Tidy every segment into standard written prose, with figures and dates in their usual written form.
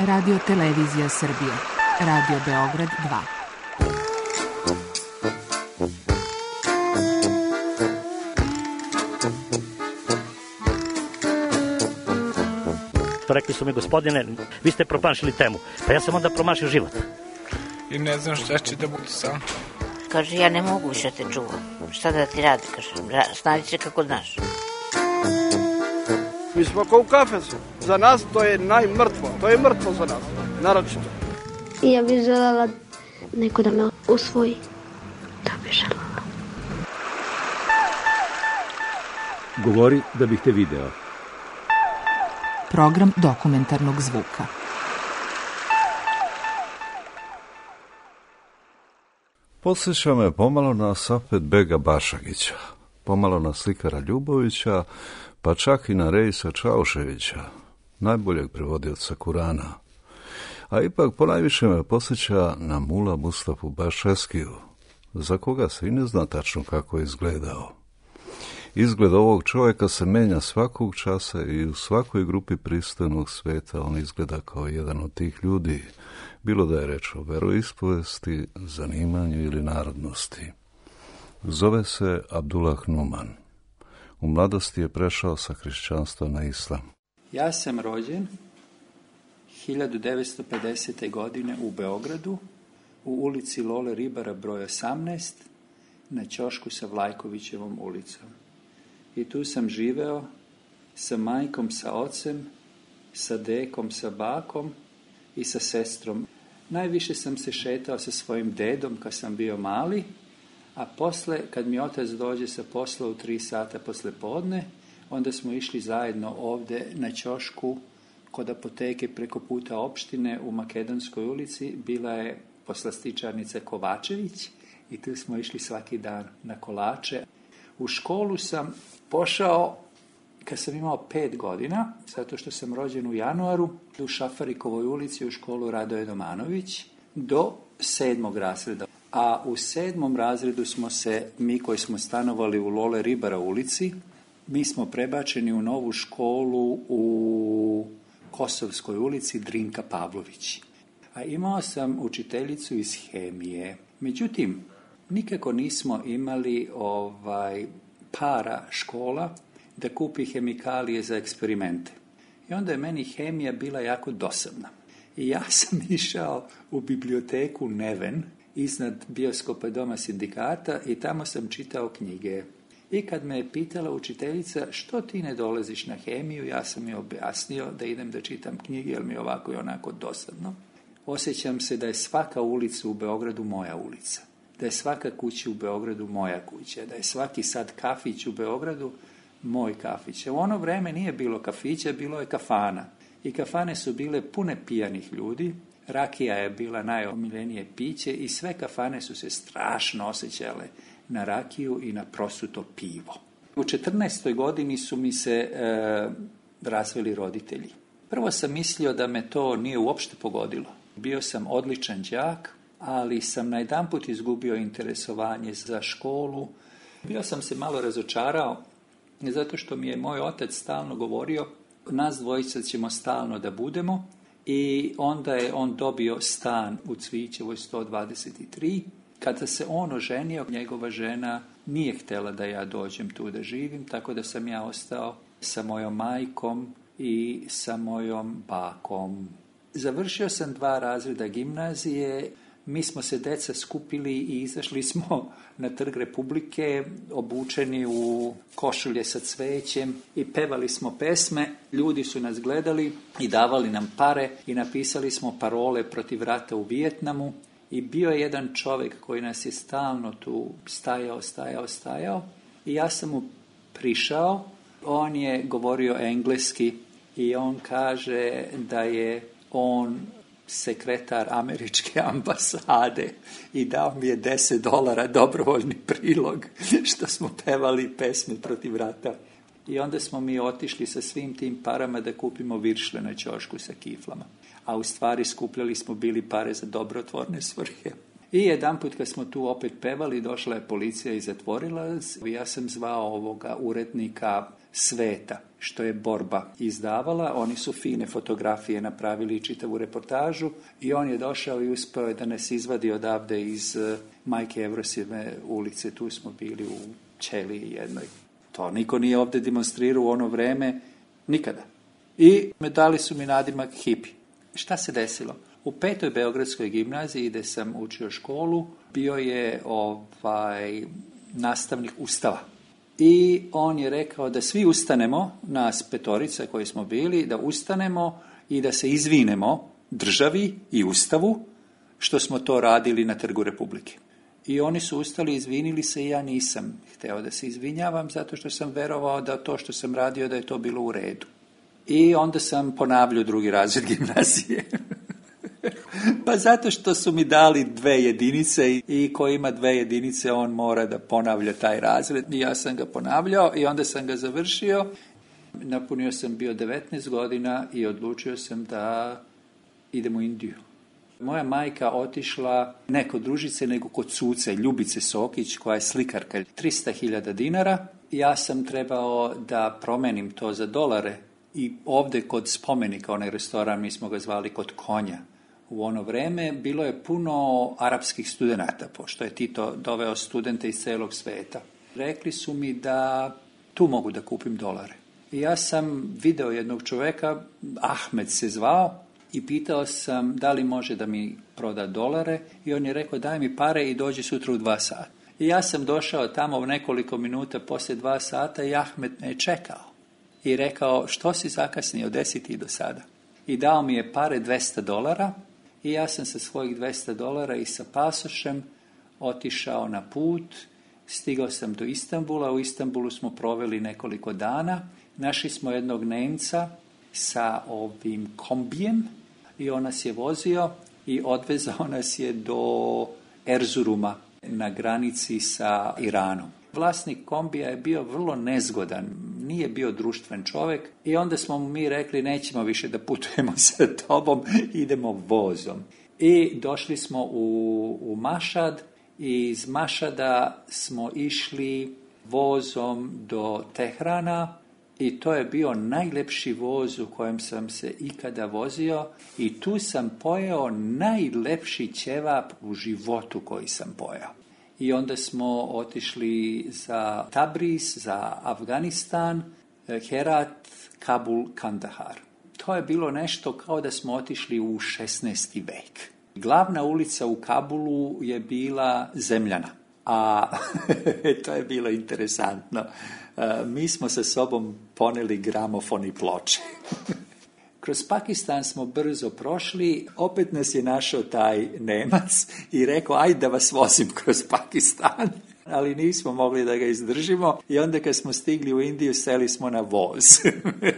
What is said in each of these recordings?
Radio Televizija Srbije. Radio Beograd 2. Rekli su mi, gospodine, vi ste promašili temu. Pa ja sam onda promašio život. I ne znam šta će da bude sam. Kaže, ja ne mogu više te čuvam. Šta da ti radi, kaže, snađi se kako znaš. Mi smo kao u kafesu. Za nas to je najmrtvo. To je mrtvo za nas, naročito. I ja bih želela neko da me usvoji. To bih želela. Govori da bih te video. Program dokumentarnog zvuka. Podsjeća me pomalo na Safet Bega Bašagića, pomalo na slikara Ljubovića, pa čak i na Reisa Čauševića, najboljeg prevodioca Kurana. A ipak ponajviše me podsjeća na Mula Mustafu Bašeskiju, za koga se i ne zna tačno kako je izgledao. Izgled ovog čovjeka se menja svakog časa i u svakoj grupi pristojnog sveta on izgleda kao jedan od tih ljudi, bilo da je reč o veroispovesti, zanimanju ili narodnosti. Zove se Abdullah Numan. U mladosti je prešao sa hrišćanstva na islam. Ja sam rođen 1950. godine u Beogradu, u ulici Lole Ribara broj 18, na ćošku sa Vlajkovićevom ulicom. I tu sam živeo sa majkom, sa ocem, sa dekom, sa bakom i sa sestrom. Najviše sam se šetao sa svojim dedom kad sam bio mali, a posle, kad mi otac dođe sa posla u 3 sata posle podne, onda smo išli zajedno ovde na ćošku kod apoteke preko puta opštine u Makedonskoj ulici. Bila je poslastičarnica Kovačević i tu smo išli svaki dan na kolače. U školu sam pošao kad sam imao 5 godina, zato što sam rođen u januaru, u Šafarikovoj ulici u školu Radoje Domanović do 7. razreda. A u 7. razredu smo se, mi koji smo stanovali u Lole Ribara ulici, mi smo prebačeni u novu školu u Kosovskoj ulici Drinka Pavlović. A imao sam učiteljicu iz hemije. Međutim, nikako nismo imali para škola da kupi hemikalije za eksperimente. I onda je meni hemija bila jako dosadna. I ja sam išao u biblioteku Neven iznad bioskopa Doma sindikata i tamo sam čitao knjige. I kad me je pitala učiteljica što ti ne dolaziš na hemiju, ja sam joj objasnio da idem da čitam knjige jer mi je ovako i onako dosadno. Osjećam se da je svaka ulica u Beogradu moja ulica. Da je svaka kuća u Beogradu moja kuća, da je svaki sad kafić u Beogradu moj kafić. U ono vreme nije bilo kafića, bilo je kafana. I kafane su bile pune pijanih ljudi, rakija je bila najomiljenije piće i sve kafane su se strašno osjećale na rakiju i na prosuto pivo. U 14. godini su mi se razveli roditelji. Prvo sam mislio da me to nije uopšte pogodilo. Bio sam odličan đak, ali sam najedanput izgubio interesovanje za školu. Bio sam se malo razočarao, zato što mi je moj otac stalno govorio, nas dvojica ćemo stalno da budemo, i onda je on dobio stan u Cvićevoj 123. Kada se on oženio, njegova žena nije htjela da ja dođem tu da živim, tako da sam ja ostao sa mojom majkom i sa mojom bakom. Završio sam 2 razreda gimnazije. Mi smo se deca skupili i izašli smo na Trg Republike, obučeni u košulje sa cvećem i pevali smo pesme. Ljudi su nas gledali i davali nam pare i napisali smo parole protiv rata u Vijetnamu. I bio je jedan čovjek koji nas je stalno tu stajao i ja sam mu prišao. On je govorio engleski i on kaže da je on sekretar američke ambasade i dao mi je $10 dobrovoljni prilog što smo pevali pesme protiv rata. I onda smo mi otišli sa svim tim parama da kupimo viršle na ćošku sa kiflama. A u stvari skupljali smo bili pare za dobrotvorne svrhe. I jedanput kad smo tu opet pevali, došla je policija i zatvorila nas. Ja sam zvao ovoga urednika sveta, što je borba izdavala. Oni su fine fotografije napravili, čitavu reportažu, i on je došao i uspio da nas izvadi odavde iz Majke Evrosijeve ulice. Tu smo bili u ćeliji jednoj. To niko nije ovdje demonstrirao u ono vreme, nikada. I dali su mi nadimak hipi. Šta se desilo? U 5. Beogradskoj gimnaziji, gdje sam učio školu, bio je nastavnik Ustava. I on je rekao da svi ustanemo, nas 5 koji smo bili, da ustanemo i da se izvinemo državi i Ustavu što smo to radili na Trgu Republike. I oni su ustali, izvinili se, i ja nisam hteo da se izvinjavam zato što sam verovao da to što sam radio da je to bilo u redu. I onda sam ponavljao 2. razred gimnazije. Pa zato što su mi dali 2 jedinice i ko ima 2 jedinice on mora da ponavlja taj razred. I ja sam ga ponavljao i onda sam ga završio. Napunio sam bio 19 godina i odlučio sam da idem u Indiju. Moja majka otišla ne kod družice nego kod suca Ljubice Sokić, koja je slikarka, 300.000 dinara. Ja sam trebao da promenim to za dolare i ovdje kod spomenika, onaj restoran, mi smo ga zvali kod konja. U ono vreme bilo je puno arapskih studenata, pošto je Tito doveo studente iz celog sveta. Rekli su mi da tu mogu da kupim dolare. I ja sam video jednog čoveka, Ahmed se zvao, i pitao sam da li može da mi proda dolare, i on je rekao daj mi pare i dođi sutra u 2 sata. I ja sam došao tamo u nekoliko minuta poslije 2 sata i Ahmed me je čekao. I rekao što si zakasnio, 10 i do sada. I dao mi je pare $200 i ja sam sa svojih $200 i sa pasošem otišao na put. Stigao sam do Istanbula, u Istanbulu smo proveli nekoliko dana. Našli smo jednog Nemca sa ovim kombijem i on nas je vozio i odvezao nas je do Erzuruma na granici sa Iranom. Vlasnik kombija je bio vrlo nezgodan, nije bio društven čovjek i onda smo mu mi rekli nećemo više da putujemo sa tobom, idemo vozom. I došli smo u Mašad i iz Mašada smo išli vozom do Tehrana i to je bio najlepši voz u kojem sam se ikada vozio i tu sam pojeo najlepši ćevap u životu koji sam pojeo. I onda smo otišli za Tabriz, za Afganistan, Herat, Kabul, Kandahar. To je bilo nešto kao da smo otišli u 16. vek. Glavna ulica u Kabulu je bila zemljana, a to je bilo interesantno. Mi smo sa sobom poneli gramofon i ploče. Kroz Pakistan smo brzo prošli, opet nas je našao taj Nemac i rekao, ajde da vas vozim kroz Pakistan. Ali nismo mogli da ga izdržimo i onda kad smo stigli u Indiju, seli smo na voz.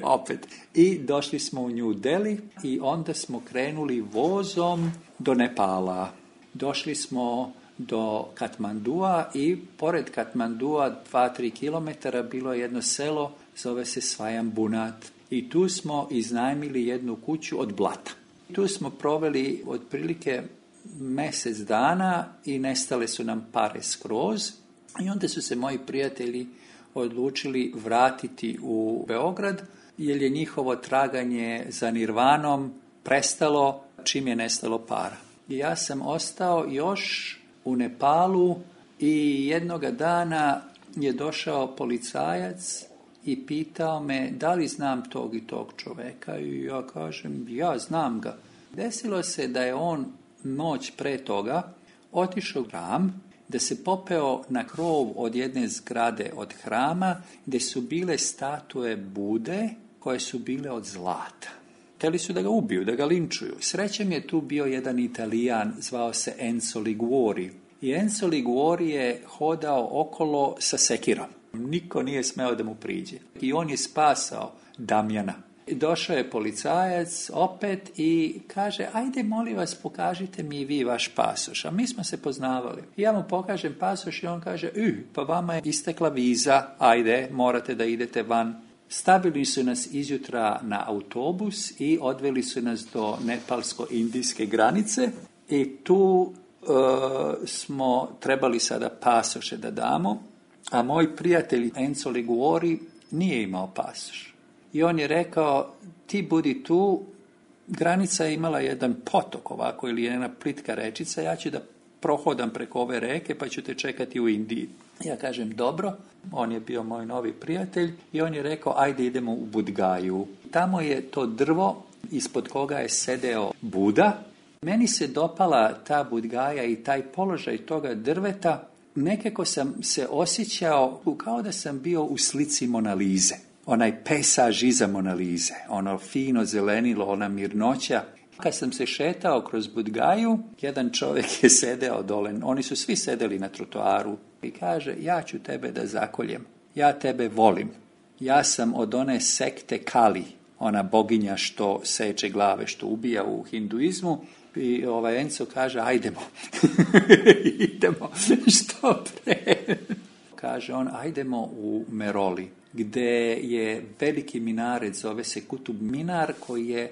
Opet. I došli smo u New Delhi i onda smo krenuli vozom do Nepala. Došli smo do Katmandua i pored Katmandua 2-3 kilometara bilo je jedno selo, zove se Svajambunat. I tu smo iznajmili jednu kuću od blata. Tu smo proveli otprilike mjesec dana i nestale su nam pare skroz. I onda su se moji prijatelji odlučili vratiti u Beograd, jer je njihovo traganje za Nirvanom prestalo čim je nestalo para. I ja sam ostao još u Nepalu i jednoga dana je došao policajac i pitao me da li znam tog i tog čoveka i ja kažem ja znam ga. Desilo se da je on noć pre toga otišao u hram, da se popeo na krov od jedne zgrade od hrama gdje su bile statue Bude koje su bile od zlata. Hteli su da ga ubiju, da ga linčuju. Srećem je tu bio jedan Italijan, zvao se Enzo Liguori. I Enzo Liguori je hodao okolo sa sekirom. Niko nije smeo da mu priđe. I on je spasao Damjana. Došao je policajac opet i kaže, ajde molim vas pokažite mi vi vaš pasoš. A mi smo se poznavali. I ja mu pokažem pasoš i on kaže, pa vama je istekla viza, ajde, morate da idete van. Stavili su nas izjutra na autobus i odveli su nas do nepalsko-indijske granice i tu smo trebali sada pasoše da damo, a moj prijatelj Enzo Liguori nije imao pasoš. I on je rekao, ti budi tu, granica je imala jedan potok ovako ili jedna plitka rečica, ja ću da prohodam preko ove reke pa ću te čekati u Indiji. Ja kažem, dobro, on je bio moj novi prijatelj i on je rekao, ajde idemo u Budgaju. Tamo je to drvo ispod koga je sedeo Buda. Meni se dopala ta Budgaja i taj položaj toga drveta. Nekako sam se osjećao kao da sam bio u slici Mona Lize. Onaj pesaž iza Mona Lize, ono fino zelenilo, ona mirnoća. Kad sam se šetao kroz Budgaju, jedan čovjek je sedeo dole, oni su svi sedeli na trotoaru i kaže, ja ću tebe da zakoljem, ja tebe volim. Ja sam od one sekte Kali, ona boginja što seče glave, što ubija u hinduizmu. I Enzo kaže, ajdemo, idemo, što pre. Kaže on, ajdemo u Meroli, gdje je veliki minaret, zove se Kutub Minar, koji je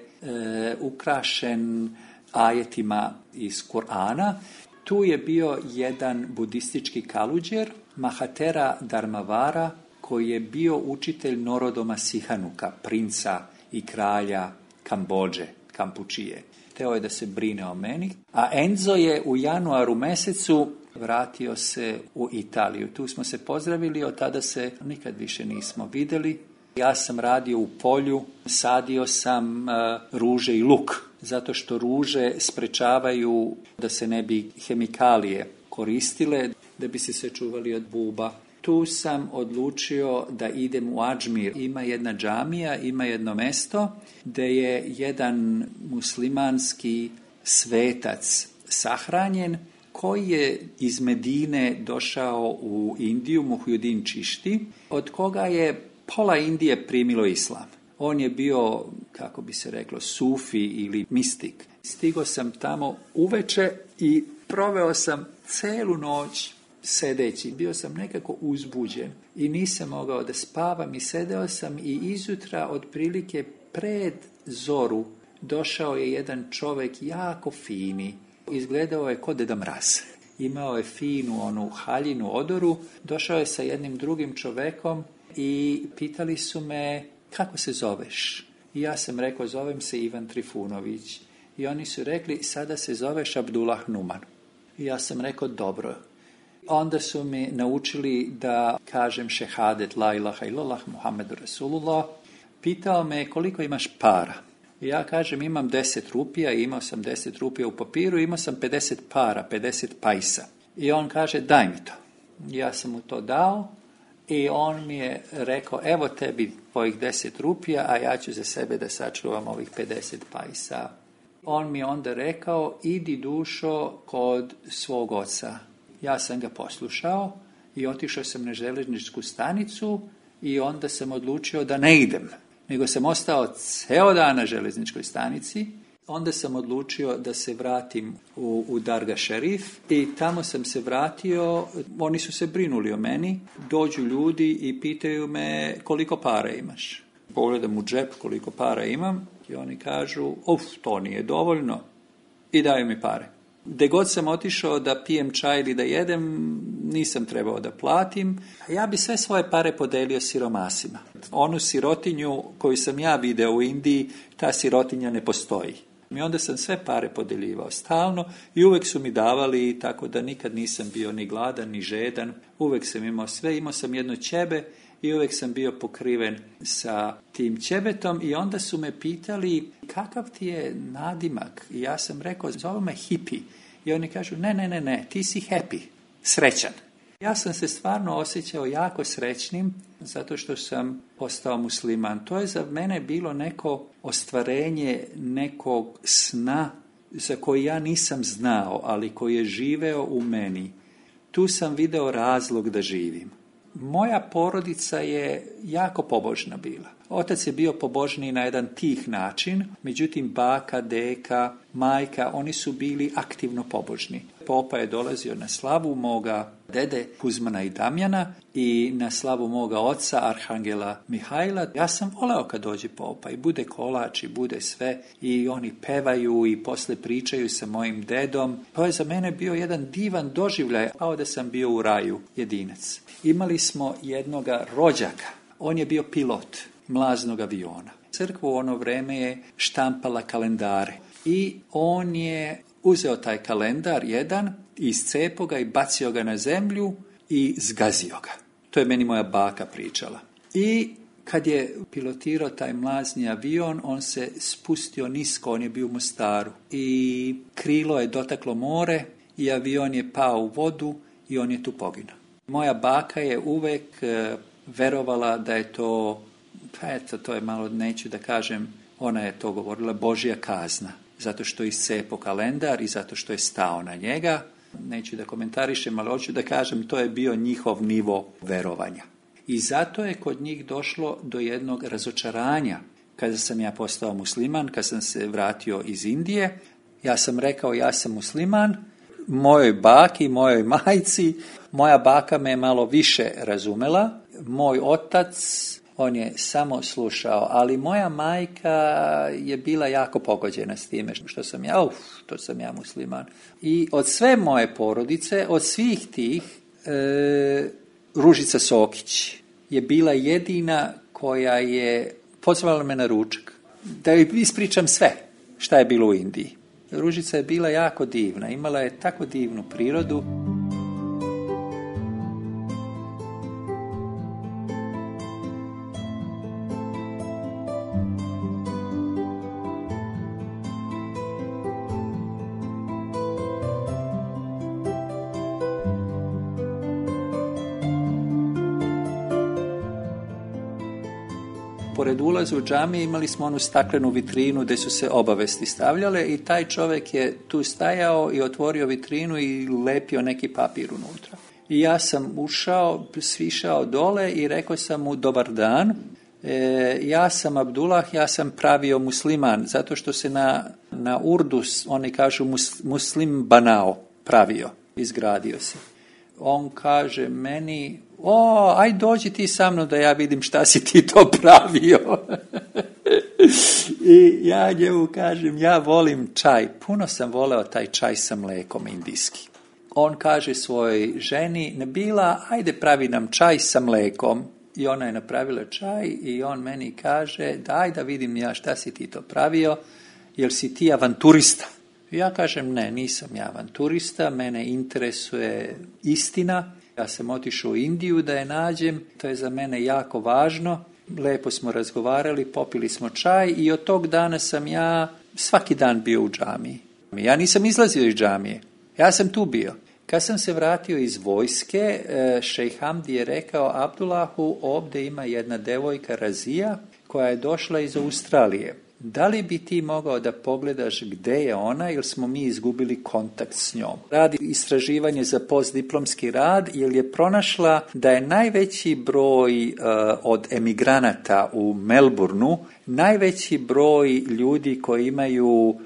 ukrašen ajetima iz Kur'ana. Tu je bio jedan budistički kaluđer, Mahatera Dharmavara, koji je bio učitelj Norodoma Sihanuka, princa i kralja Kambodže, Kampučije. Hteo je da se brine o meni. A Enzo je u januaru mesecu vratio se u Italiju. Tu smo se pozdravili, od tada se nikad više nismo vidjeli. Ja sam radio u polju, sadio sam ruže i luk, zato što ruže sprečavaju da se ne bi hemikalije koristile, da bi se sačuvali od buba. Tu sam odlučio da idem u Adžmir. Ima jedna džamija, ima jedno mesto gdje je jedan muslimanski svetac sahranjen koji je iz Medine došao u Indiju, Muhyiddin Čišti, od koga je pola Indije primilo islam. On je bio, kako bi se reklo, sufi ili mistik. Stigao sam tamo uveče i proveo sam celu noć sedeći. Bio sam nekako uzbuđen i nisam mogao da spavam i sedeo sam i izutra otprilike pred zoru došao je jedan čovjek jako fini. Izgledao je kao Deda Mraz. Imao je finu onu haljinu odoru. Došao je sa jednim drugim čovjekom i pitali su me kako se zoveš. I ja sam rekao zovem se Ivan Trifunović. I oni su rekli sada se zoveš Abdullah Numan. I ja sam rekao dobro. Onda su mi naučili da kažem šehadet la ilaha illallah Muhammedu Rasulullah. Pitao me koliko imaš para. I ja kažem imam 10 rupija, imao sam 10 rupija u papiru, imao sam 50 para, 50 pajsa. I on kaže daj mi to. Ja sam mu to dao i on mi je rekao evo tebi tvojih 10 rupija, a ja ću za sebe da sačuvam ovih 50 pajsa. On mi je onda rekao idi dušo kod svog oca. Ja sam ga poslušao i otišao sam na željezničku stanicu i onda sam odlučio da ne idem, nego sam ostao ceo dan na željezničkoj stanici. Onda sam odlučio da se vratim u Darga Šerif i tamo sam se vratio, oni su se brinuli o meni, dođu ljudi i pitaju me koliko para imaš. Pogledam u džep koliko para imam i oni kažu to nije dovoljno i daju mi pare. Gde god sam otišao da pijem čaj ili da jedem, nisam trebao da platim. Ja bi sve svoje pare podelio siromasima. Onu sirotinju koju sam ja video u Indiji, ta sirotinja ne postoji. I onda sam sve pare podeljivao stalno i uvek su mi davali, tako da nikad nisam bio ni gladan, ni žedan. Uvek sam imao sve, imao sam jedno ćebe i uvek sam bio pokriven sa tim ćebetom i onda su me pitali kakav ti je nadimak. I ja sam rekao, zove me hippie. I oni kažu, ne, ti si happy, srećan. Ja sam se stvarno osjećao jako srećnim zato što sam postao musliman. To je za mene bilo neko ostvarenje nekog sna za koji ja nisam znao, ali koji je živeo u meni. Tu sam video razlog da živim. Moja porodica je jako pobožna bila. Otac je bio pobožniji na jedan tih način, međutim baka, deka, majka, oni su bili aktivno pobožni. Popa je dolazio na slavu moga dede Kuzmana i Damjana i na slavu moga oca Arhangela Mihajla. Ja sam voleo kad dođe popa i bude kolač i bude sve i oni pevaju i posle pričaju sa mojim dedom. To je za mene bio jedan divan doživljaj, kao da sam bio u raju jedinac. Imali smo jednoga rođaka. On je bio pilot mlaznog aviona. Crkva u ono vreme je štampala kalendare i on je uzeo taj kalendar jedan, iscepao ga i bacio ga na zemlju i zgazio ga. To je meni moja baka pričala. I kad je pilotirao taj mlazni avion, on se spustio nisko, on je bio u Mostaru i krilo je dotaklo more i avion je pao u vodu i on je tu poginuo. Moja baka je uvek verovala da je to, pa eto, to je malo, neću da kažem, ona je to govorila, Božja kazna, zato što je iscepao kalendar i zato što je stao na njega. Neću da komentarišem, ali hoću da kažem, to je bio njihov nivo verovanja. I zato je kod njih došlo do jednog razočaranja. Kada sam ja postao musliman, kad sam se vratio iz Indije, ja sam rekao ja sam musliman, mojoj baki, mojoj majci, moja baka me je malo više razumela, moj otac, on je samo slušao, ali moja majka je bila jako pogođena s time što sam ja, to sam ja musliman. I od sve moje porodice, od svih tih, Ružica Sokić je bila jedina koja je pozvala me na ručak. Da joj ispričam sve šta je bilo u Indiji. Ružica je bila jako divna, imala je tako divnu prirodu. Pored ulaza u džamije imali smo onu staklenu vitrinu gdje su se obavesti stavljale i taj čovjek je tu stajao i otvorio vitrinu i lepio neki papir unutra. I ja sam ušao, svišao dole i rekao sam mu dobar dan, ja sam Abdullah, ja sam pravio musliman, zato što se na urdu oni kažu muslim banao, pravio, izgradio se. On kaže meni, aj dođi ti sa mnom da ja vidim šta si ti to pravio. I ja njemu kažem, ja volim čaj. Puno sam voleo taj čaj sa mlekom indijski. On kaže svojoj ženi, Nebila, ajde pravi nam čaj sa mlekom. I ona je napravila čaj i on meni kaže, daj da vidim ja šta si ti to pravio, jel si ti avanturista? Ja kažem, ne, nisam ja avanturista, mene interesuje istina. Ja sam otišao u Indiju da je nađem, to je za mene jako važno. Lepo smo razgovarali, popili smo čaj i od tog dana sam ja svaki dan bio u džamiji. Ja nisam izlazio iz džamije, ja sam tu bio. Kad sam se vratio iz vojske, šejh Hamdi je rekao Abdullahu, ovdje ima jedna devojka Razija koja je došla iz Australije. Da li bi ti mogao da pogledaš gde je ona, jer smo mi izgubili kontakt s njom? Radi istraživanje za postdiplomski rad, jer je pronašla da je najveći broj od emigranata u Melbourneu, najveći broj ljudi koji imaju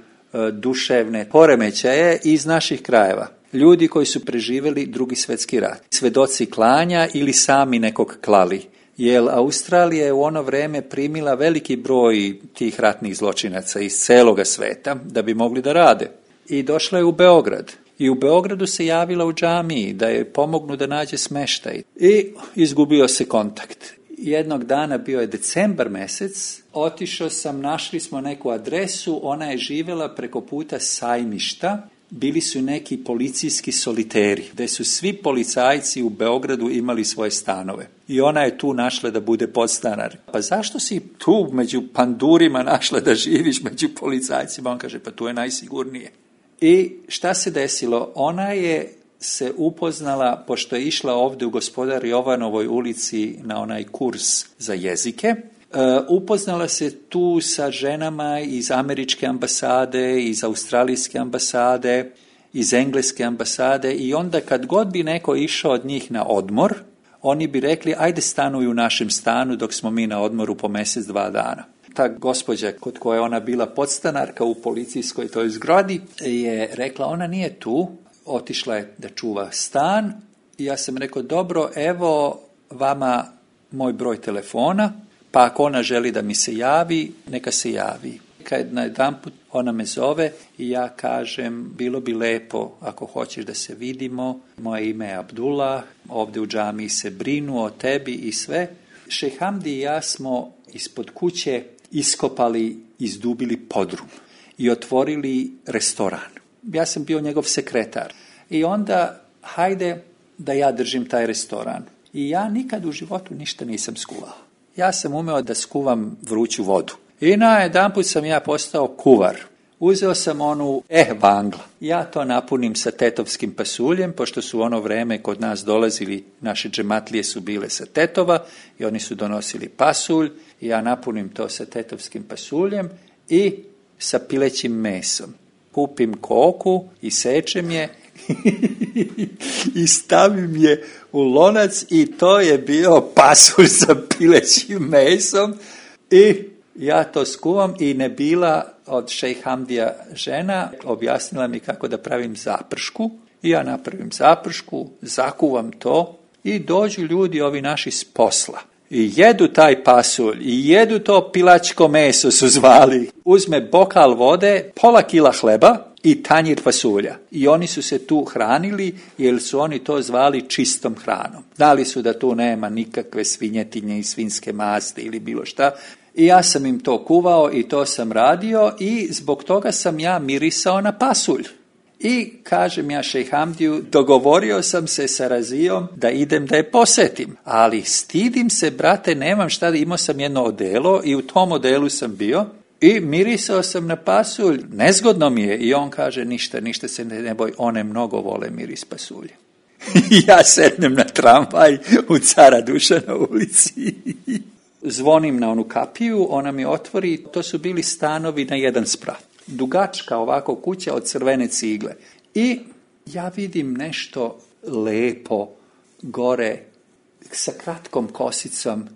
duševne poremećaje iz naših krajeva. Ljudi koji su preživjeli Drugi svjetski rat. Svedoci klanja ili sami nekog klali. Jer Australija je u ono vrijeme primila veliki broj tih ratnih zločinaca iz celoga sveta da bi mogli da rade. I došla je u Beograd. I u Beogradu se javila u džamiji da je pomognu da nađe smeštaj. I izgubio se kontakt. Jednog dana, bio je decembar mjesec, otišao sam, našli smo neku adresu, ona je živjela preko puta Sajmišta. Bili su neki policijski soliteri, gdje su svi policajci u Beogradu imali svoje stanove. I ona je tu našla da bude podstanar. Pa zašto si tu među pandurima našla da živiš među policajcima? On kaže, pa tu je najsigurnije. I šta se desilo? Ona je se upoznala, pošto je išla ovdje u Gospodar Jovanovoj ulici na onaj kurs za jezike, upoznala se tu sa ženama iz američke ambasade, iz australijske ambasade, iz engleske ambasade i onda kad god bi neko išao od njih na odmor, oni bi rekli ajde stanuj u našem stanu dok smo mi na odmoru po mjesec, 2 dana. Ta gospođa kod koje je ona bila podstanarka u policijskoj toj zgradi je rekla ona nije tu, otišla je da čuva stan i ja sam rekao dobro, evo vama moj broj telefona, pa ako ona želi da mi se javi, neka se javi. Kad na jedanput ona me zove i ja kažem, bilo bi lepo ako hoćeš da se vidimo, moje ime je Abdullah, ovdje u džamiji se brinu o tebi i sve. Šejh Hamdi i ja smo ispod kuće iskopali, izdubili podrum i otvorili restoran. Ja sam bio njegov sekretar. I onda, hajde da ja držim taj restoran. I ja nikad u životu ništa nisam skuvao. Ja sam umeo da skuvam vruću vodu. I najedanput sam ja postao kuvar. Uzeo sam onu vangla. Ja to napunim sa tetovskim pasuljem, pošto su ono vreme kod nas dolazili, naše džematlije su bile sa tetova i oni su donosili pasulj. I ja napunim to sa tetovskim pasuljem i sa pilećim mesom. Kupim koku i sečem je i stavim je u lonac i to je bio pasulj sa pilećim mesom i ja to skuvam i Nebila od šejh Hamdija žena objasnila mi kako da pravim zapršku i ja napravim zapršku, zakuvam to i dođu ljudi ovi naši s posla. I jedu taj pasulj, i jedu to pilačko meso su zvali. Uzme bokal vode, pola kila hleba i tanjir pasulja. I oni su se tu hranili jer su oni to zvali čistom hranom. Znali su da tu nema nikakve svinjetinje i svinjske masti ili bilo šta. I ja sam im to kuvao i to sam radio i zbog toga sam ja mirisao na pasulj. I kažem ja šejh Hamdiju, dogovorio sam se sa Razijom da idem da je posetim, ali stidim se, brate, nemam šta, imao sam jedno odelo i u tom odelu sam bio i mirisao sam na pasulj, nezgodno mi je i on kaže ništa se ne boj, one mnogo vole miris pasulja. Ja sednem na tramvaj u Cara Dušana ulici, zvonim na onu kapiju, ona mi otvori, to su bili stanovi na jedan sprat. Dugačka ovako kuća od crvene cigle. I ja vidim nešto lepo gore sa kratkom kosicom,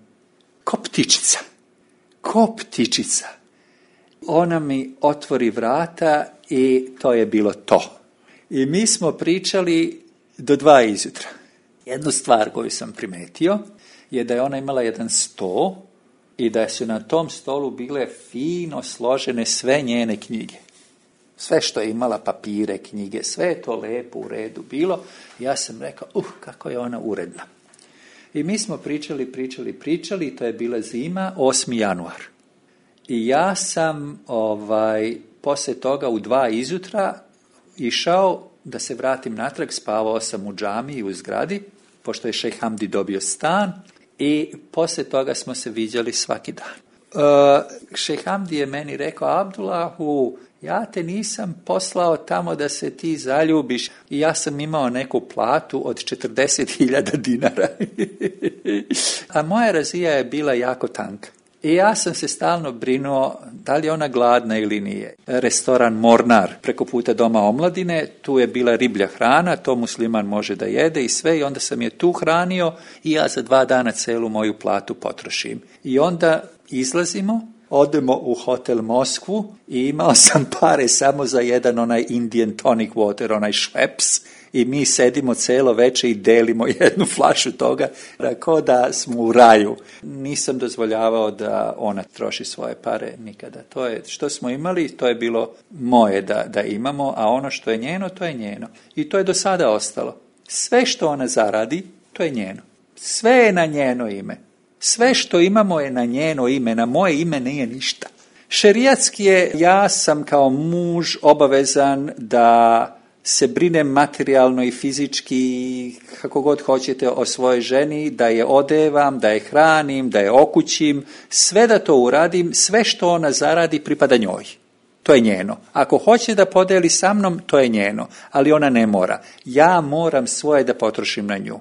ko ptičica. Ona mi otvori vrata i to je bilo to. I mi smo pričali do 2 izutra. Jednu stvar koju sam primetio je da je ona imala jedan sto i da su na tom stolu bile fino složene sve njene knjige. Sve što je imala, papire, knjige, sve je to lepo u redu bilo. Ja sam rekao, kako je ona uredna. I mi smo pričali, to je bila zima, 8. januar. I ja sam poslije toga u 2 izutra išao da se vratim natrag, spavao sam u džamiji u zgradi, pošto je šejh Hamdi dobio stan. I poslije toga smo se viđali svaki dan. Šejh Hamdi je meni rekao, Abdullahu, ja te nisam poslao tamo da se ti zaljubiš. I ja sam imao neku platu od 40.000 dinara. A moja Razija je bila jako tanka. I ja sam se stalno brinuo da li je ona gladna ili nije. Restoran Mornar preko puta Doma omladine, tu je bila riblja hrana, to musliman može da jede i sve, i onda sam je tu hranio i ja za 2 dana celu moju platu potrošim. I onda izlazimo, odemo u hotel Moskvu i imao sam pare samo za jedan onaj Indian tonic water, onaj šleps, i mi sedimo celo veče i delimo jednu flašu toga, kao da smo u raju. Nisam dozvoljavao da ona troši svoje pare nikada. To je što smo imali, to je bilo moje da imamo, a ono što je njeno, to je njeno. I to je do sada ostalo. Sve što ona zaradi, to je njeno. Sve je na njeno ime. Sve što imamo je na njeno ime, na moje ime nije ništa. Šerijatski je, ja sam kao muž obavezan da se brinem materijalno i fizički, kako god hoćete, o svojoj ženi, da je odevam, da je hranim, da je okućim, sve da to uradim, sve što ona zaradi pripada njoj. To je njeno. Ako hoće da podeli sa mnom, to je njeno, ali ona ne mora. Ja moram svoje da potrošim na nju.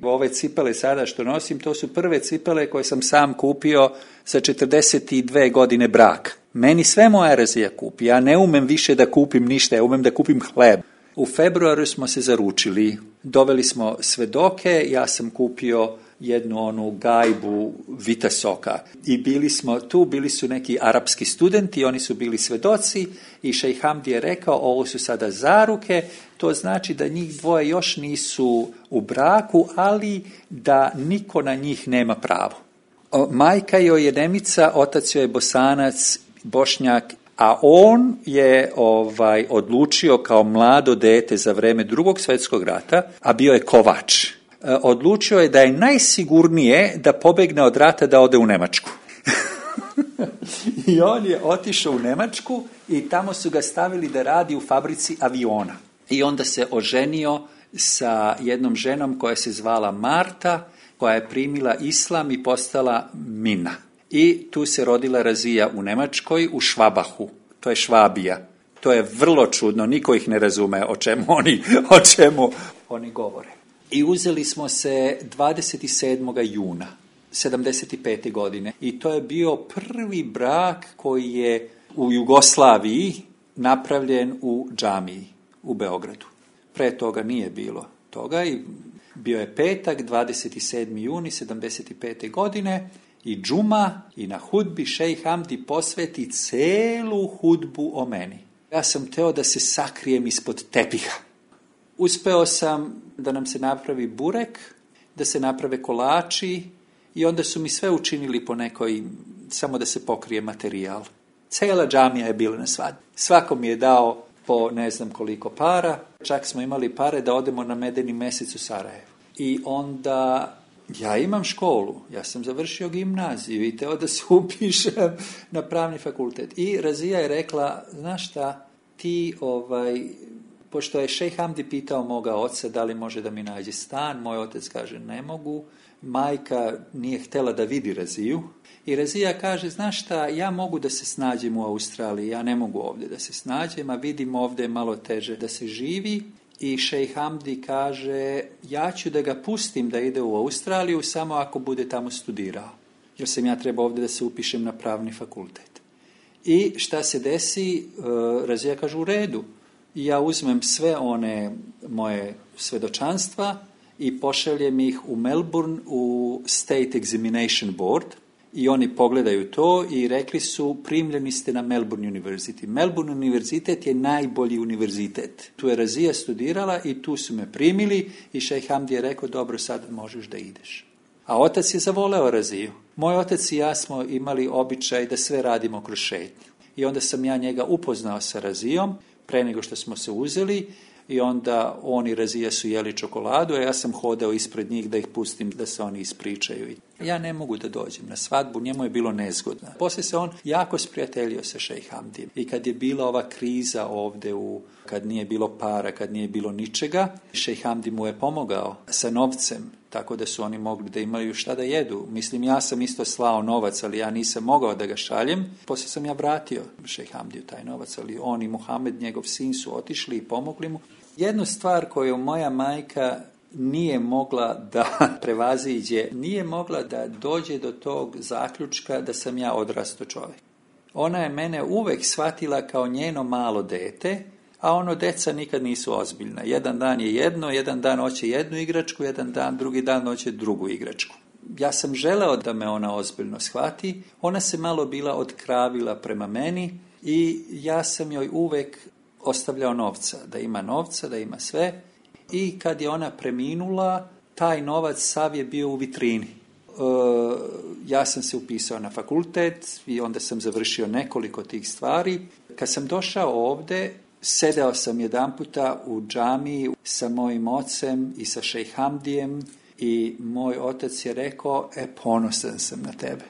Ove cipele sada što nosim, to su prve cipele koje sam sam kupio za 42 godine braka. Meni sve moja Razija kupi. Ja ne umem više da kupim ništa, ja umem da kupim hleb. U februaru smo se zaručili, doveli smo svedoke, ja sam kupio jednu onu gajbu vitasoka i bili su neki arapski studenti, oni su bili svedoci i šejh Hamdi je rekao, ovo su sada zaruke, to znači da njih dvoje još nisu u braku, ali da niko na njih nema pravo. Majka joj je Nemica, otac joj je Bosanac, Bošnjak, a on je odlučio kao mlado dete za vreme Drugog svjetskog rata, a bio je kovač. odlučio je da je najsigurnije da pobegne od rata da ode u Njemačku. I on je otišao u Njemačku i tamo su ga stavili da radi u fabrici aviona. I onda se oženio sa jednom ženom koja se zvala Marta, koja je primila islam i postala Mina. I tu se rodila Razija u Njemačkoj, u Švabahu. To je Švabija. To je vrlo čudno, niko ih ne razume o čemu oni govore. I uzeli smo se 27. juna 75. godine. I to je bio prvi brak koji je u Jugoslaviji napravljen u džamiji u Beogradu. Pre toga nije bilo toga i bio je petak, 27. juni 75. godine i džuma i na hudbi šejh Hamdi posveti celu hudbu o meni. Ja sam teo da se sakrijem ispod tepiha. Uspeo sam da nam se napravi burek, da se naprave kolači i onda su mi sve učinili po nekoj, samo da se pokrije materijal. Cela džamija je bila na svadbi. Svako mi je dao po ne znam koliko para, čak smo imali pare da odemo na medeni mjesec u Sarajevo. I onda ja imam školu, ja sam završio gimnaziju i teo da se upišem na pravni fakultet. I Razija je rekla, znaš šta, ti pošto je šejh Hamdi pitao moga oca da li može da mi nađe stan, moj otac kaže ne mogu, majka nije htjela da vidi Raziju i Razija kaže, znaš šta, ja mogu da se snađem u Australiji, ja ne mogu ovdje da se snađem, a vidim ovdje je malo teže da se živi. I šejh Hamdi kaže, ja ću da ga pustim da ide u Australiju samo ako bude tamo studirao, jer sam ja trebao ovdje da se upišem na pravni fakultet. I šta se desi, Razija kaže u redu. I ja uzmem sve one moje svedočanstva i pošaljem ih u Melbourne u State Examination Board i oni pogledaju to i rekli su primljeni ste na Melbourne University. Melbourne univerzitet je najbolji univerzitet. Tu je Razija studirala i tu su me primili i šejh Hamdi je rekao dobro sad možeš da ideš. A otac je zavoleo Raziju. Moj otac i ja smo imali običaj da sve radimo kroz šetnju. I onda sam ja njega upoznao sa Razijom pre nego što smo se uzeli i onda oni Razija su jeli čokoladu, a ja sam hodao ispred njih da ih pustim da se oni ispričaju. Ja ne mogu da dođem na svadbu, njemu je bilo nezgodno. Poslije se on jako sprijateljio sa šejh Hamdijem. I kad je bila ova kriza ovdje, kad nije bilo para, kad nije bilo ničega, šejh Hamdi mu je pomogao sa novcem, tako da su oni mogli da imaju šta da jedu. Mislim, ja sam isto slao novac, ali ja nisam mogao da ga šaljem. Poslije sam ja vratio šejh Hamdiju taj novac, ali on i Muhamed, njegov sin, su otišli i pomogli mu. Jednu stvar koju moja majka nije mogla da prevaziđe, nije mogla da dođe do tog zaključka da sam ja odrasto čovjek. Ona je mene uvek shvatila kao njeno malo dete, a ono deca nikad nisu ozbiljna. Jedan dan je jedno, jedan dan hoće jednu igračku, drugi dan hoće drugu igračku. Ja sam želeo da me ona ozbiljno shvati, ona se malo bila otkravila prema meni i ja sam joj uvek ostavljao novca, da ima sve. I kad je ona preminula, taj novac sav je bio u vitrini. Ja sam se upisao na fakultet i onda sam završio nekoliko tih stvari. Kad sam došao ovdje, sedeo sam jedanputa u džamiji sa mojim ocem i sa šejh Hamdijem i moj otac je rekao, ponosan sam na tebe.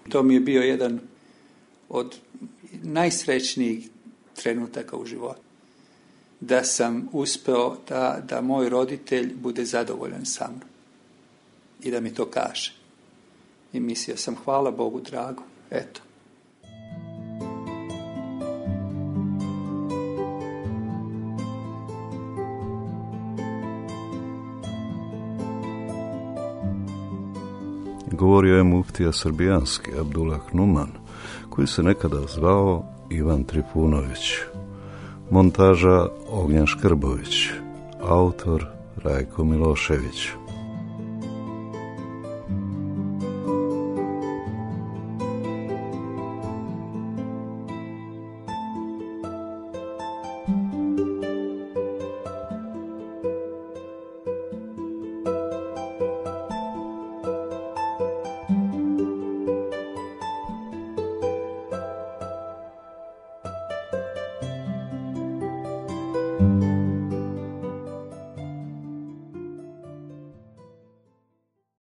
To mi je bio jedan od najsrećnijih trenutaka u životu. Da sam uspeo da moj roditelj bude zadovoljan sa mnom i da mi to kaže. I mislio sam, hvala Bogu drago, eto. Govorio je muftija srbijanski Abdullah Numan, koji se nekada zvao Ivan Trifunović. Montaža Ognjen Škrbović, autor Rajko Milošević.